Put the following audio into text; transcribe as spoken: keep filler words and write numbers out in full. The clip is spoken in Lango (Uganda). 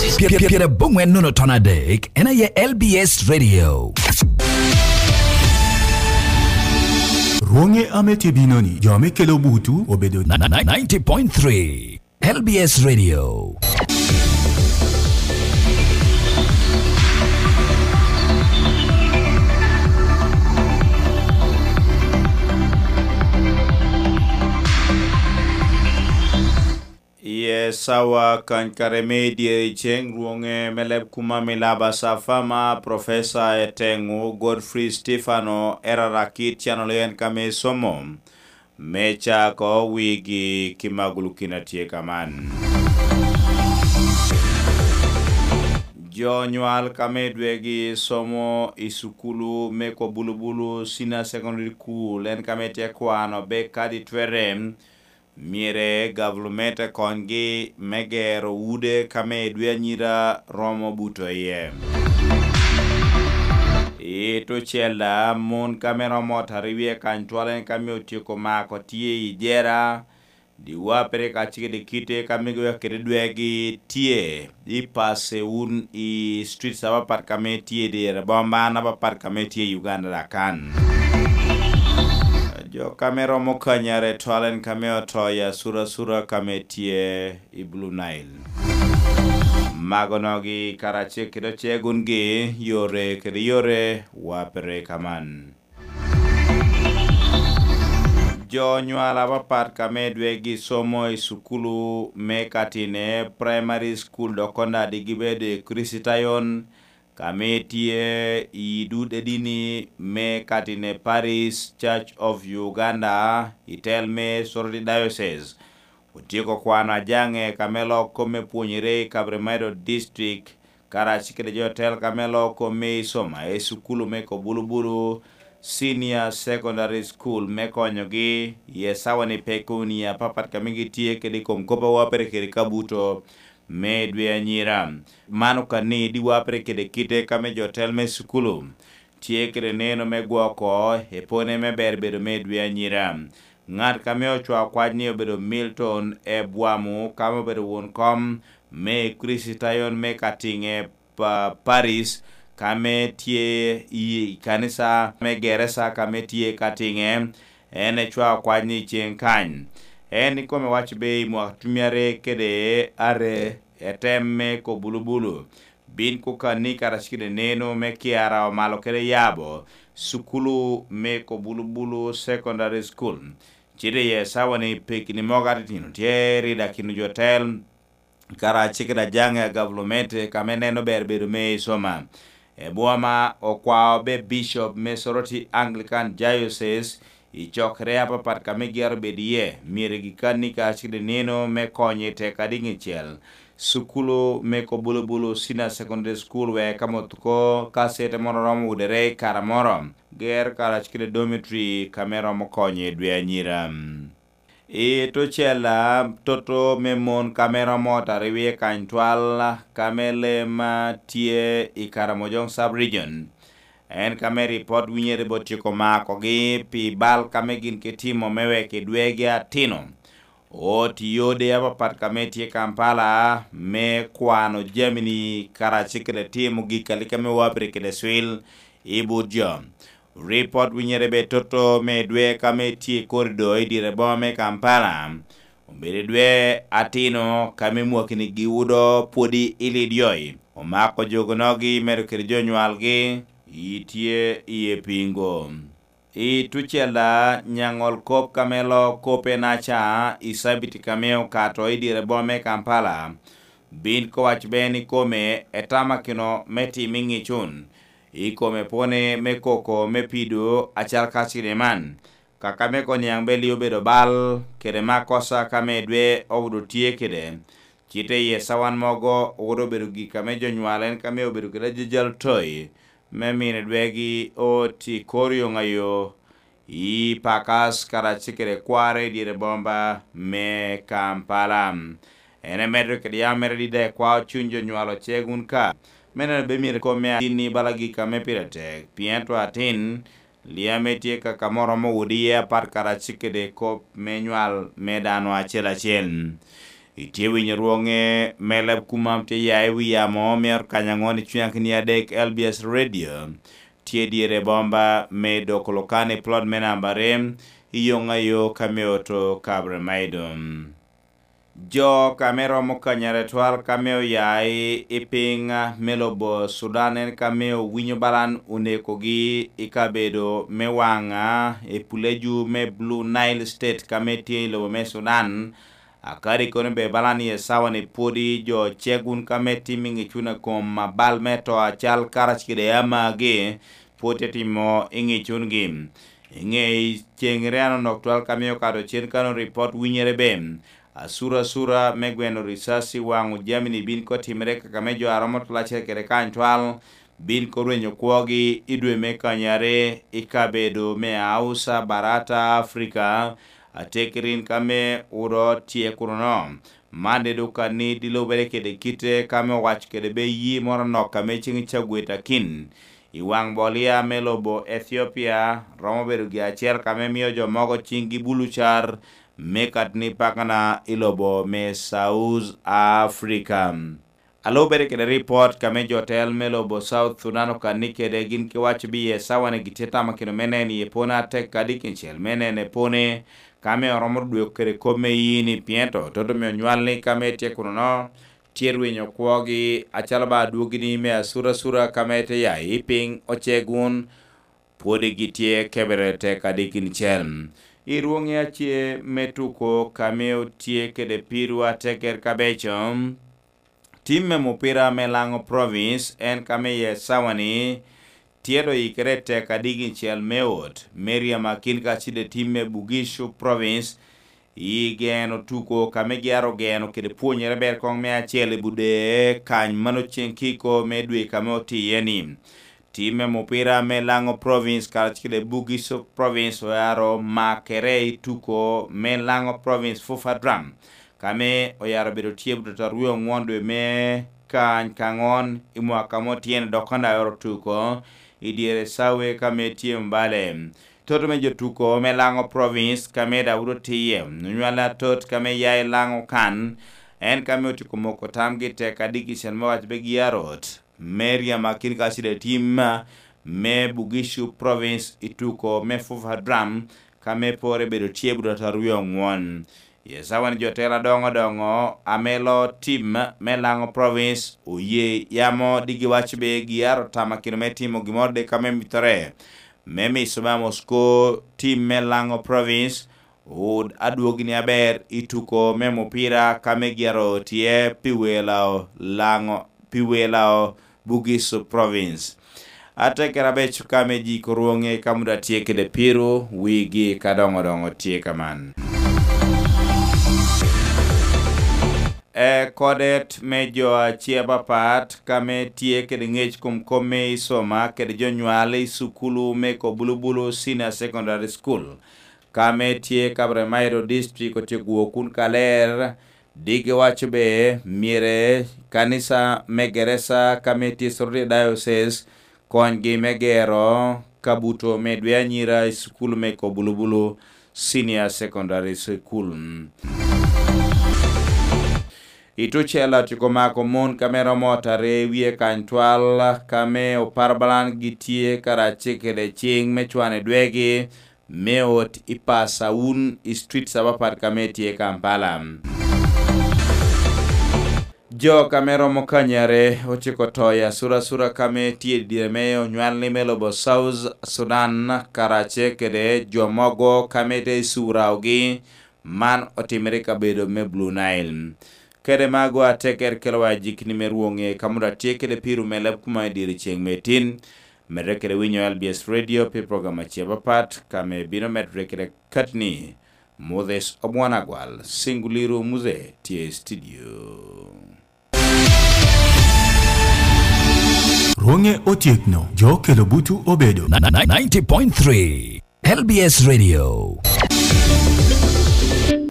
Pye- pye- Pyerabongwen nono ton adek, en aye L B S Radio. Rwoŋe ame tye bino-ni, jo ame kelo butu obedo Na- na- ninety point three L B S Radio. Iye sawa kany kare me dyere ceŋ rwoŋe me leb kuma milaba Safama, Professor Eteŋu Godfrey Stefano, Erara Kit Channel en kame somo me cako wigi ki magulu kina tye kaman. Jo nywal kame dwegi somo i sukulu me Kobulubulu Senior Secondary School en kame tye kwano be kadi twere myero gavlument konygi me gero ude ka me dwe anyira romo buto iye. I tucel da, mon ka me romo tari wie kany twal en ka me otyeko mako tye i jera, diwa pere ka cik de kite ka me gwe kede dwegi tye i passe un i streets apapat ka me tye i dire bomba an apapat ka me tye i Uganda da kan. Jo ka me romo kanyare twal en ka me oto i asurasura ka me tye i Blue Nile. Mago nogi karacel kede ocegungi yore kede yore wa pere kaman. Jo nywal apapat ka me dwegi somo i sukulu me Katine Primary School dok konda di gibedo i Kricitayon ka me tye i dud edini me Katine Parish Church of Uganda i tel me Soroti Diocese. Otyeko kwano ajaŋe ka me lok kop me pwonyere i Kaberemedo District karac kede jo otel ka me lok kop me icoma i sukulu me Kobulubulu Senior Secondary School me konyogi i esawa ni peko ni apapat ka me gitye kede i kom kop a wapere kede kabuto me dwe anyira. Man okani di wapere kede kite ka me jo otel me sukulu tye kede neno me gwoko epone me ber bedo me dwe anyira. Ŋat ka me ocwao kwac ni obedo Milton Ebwamu ka me obedo won kom me Kricitayon me Katiŋe pa Paris ka me tye i kanisa me Geresa ka me tye Katiŋe, en ecwao kwac ni ceŋ kany. En ikome waco be i mwaka tumi are kede are etem me Kobulubulu bin kukanni karacel kede neno me kiara omalo kede yabo sukulu me Kobulubulu Secondary School. Cite iye sawa ni pekini mogo atitino tye rida kino jo tel karacel kede ajaŋe a gavulumete ka me neno ber bedo me icoma. Ebwoma okwao be Bishop me Soroti Anglican Diocese i cokere apapat ka me gero bed iye, myero gikanni karacel kede nino me konyo i tek adiŋ icel. Sukulu me Kobulubulu Senior Secondary School wek ka mot ko ka cete moro romo wudere i kare moro, ger karacel kede dormitory ka me romo konyo i dwe anyira. I tucella, toto me mon ka me romo tariwie kany twal ka me lem tye i Karamojong Sub-Region. En ka me ripot winyere bot tyeko makogi pi bal ka me gin ke timo me wek i dwegi atino. Ot i ode apapat ka me tye Kampala me kwano jamini karacel kede timo gik alika me wabiri kede cwil i but jo. Ripot winyere be toto me dwe ka me tye i korido i dire boma me Kampala. Obedo dwe atino ka me mwakini giwudo pwodi i Lidyoi. Omako jogonogi medo kede jo nywalgi i tye iye pingo. I tucella nyaŋol kop ka me lo kope naca i cabiti ka me okato i dire boma me Kampala. Bin kowac ben ikome etamakino me tim i ŋicun. Ikome pwone me koko me pido acal ka cine man. Kaka me koniaŋ beli obedo bal kede makosa ka me dwe owodo tye kede. Cite i esawan mogo owodo obedo gik ame jo nywal en ka me obedo kede ajajal toyi me mine dwegi oti kor yoŋ ayo i Pakas karacel kede kware i dyere bomba me Kampala. En emedo kede yam mere dida ekwao cuny jo nywalo ceg wun ka. Me neno be myero kome atin ni bala gik ame pire tek, pien to atin Liame tye ka ka mo romo wudi iye apat karacel kede kop me nywal me dano acel acel. Itye winyo rwoŋe me leb kumam tye ya i wi yamo me ot kany aŋwen i cwiny akini adek L B S Radio. Tye dyere bomba me doko lokani plot me namba rim i yoŋ ayo ka me oto Kabre Maidum. Jo ka me romo kanyare twal ka me oya i, i piny me lobo Sudan en ka me owinyo balan onekogi i kabedo me waŋa i puleju me Blue Nile State ka me tye i lobo me Sudan. Akadi kono be balan i esawa-ni pwodi jo ceg wun ka me tim i ŋicun a kom abal me to acal karacel kede amagi pwod te timo i ŋicungi. I ŋe ceŋ riano nok twal ka me okato cen kano ripot winyere be. Asura asura me gweno ricasi waŋo jami-ni bin ko timere kaka me jo a romo tol acel kede kany twal bin ko rwenyo kwogi i dwe me kanyare i kabedo me Ausa Barata Afrika, atekerin ka me udo tye kuno-no. Man de dok ka ni di lubere kede kite ka me owaco kede be yi moro anok ka me ceŋ cagwet akin i waŋ bolia me lobo Ethiopia romo bedo gi acel ka me mio jo mogo ciŋgi bulu car me kat ni pakana i lobo me South Africa. A lubere kede ripot ka me jo tel me lobo South Sudan okanni kede gin ki waco bi ye sawa-ni gitye tamo kino me neno iye pone atek kadi kincel me neno epone ka me oromo dweko kede kop me yini pien to toto me onywal ni ka me tye kuno-no tye rwinyo kwogi acalo ba adwogi ni me asura asura ka me te ya i piny oceg wun pwodi gitye kebere tek kadi kincel. I rwoŋi ace me tuko ka me otye kede pirwa teker kabeco. Tim me mupira me Laŋo Province en ka me ye sawa-ni tye doŋ yikere tek adigi cel me ot me ryemo akin kacel i tim me Bugishu Province i geno tuko ka me gyaro geno kede pwonyere ber koŋ me acel i Budee kany mano ceŋ kiko me dwe ka me otiye-ni. Tim me mupira me Laŋo Province karacel kede Bugishu Province oyaro makere i tuko me Laŋo Province Fufa Drum ka me oyaro bedo tye buto aryo aŋwen dwe me kany ka aŋwen i mwaka mo tyen dok kan daŋ oro tuko i dyere cawe ka me tye mbale. Toto me jo tuko me Laŋo Province ka me Daudi otiye onywale atot ka me ya i Laŋo kan en ka me otyeko moko tamgi tek adiki cen me waco be gi arot me ryemo akin kacel i tim me Bugishu Province i tuko me Fufa Drum ka me pore bedo tye buto aryo aŋwen. Ye sawa ni jo tela doŋo doŋo ame lo tim me Laŋo Province oye yamo digi waco be giaro tama kino me timo gimoro de ka me mitore me miso me Moscow tim me Laŋo Province wud adwogi ni aber i tuko me mupira ka me gyaro tye pi welo Laŋo pi welo Bugisu Province. Ate kera beco ka me jiko rwoŋe ka muda tye kede piro wigi ka doŋo doŋo tye ka man. E kodet me jo ace apapat ka me tye kede ŋec kom kom me i soma kede jo nywal i sukulu me Kobulubulu Senior Secondary School ka me tye Kabremairo District otyeko wok kun kaler Digi waco be myero kanisa me Geresa ka me tye Soroti Diocese konygi me gero kabuto me dwe anyira i cukul me Kobulubulu Senior Secondary School. I tucel atyeko mako mon ka me romo otare wie kany twal ka me oparo balan gitye karacel kede cing me cwano dwegi me ot i Pasaun i streets apapat ka me tye Kampala. Jo ka me romo kanyare ociko to i asurasura ka me tye i dyere me onywal ni me lobo South Sudan karace kede jo mogo ka me te icuraogi man otimere i kabedo me Blue Nile. Kede mago ateker kelowa jikni me rwoŋe ka modo atye kede piro me leb kuma i dyere ceŋ me tin. Medde kede winyo L B S Radio pi program ace apapat ka me bino medde kede katni. Moses Obwana Gwal, Singuliru Muze, tye i studio. Rwoŋe otyekno, jo kelo butu obedo. Ninety point three L B S Radio.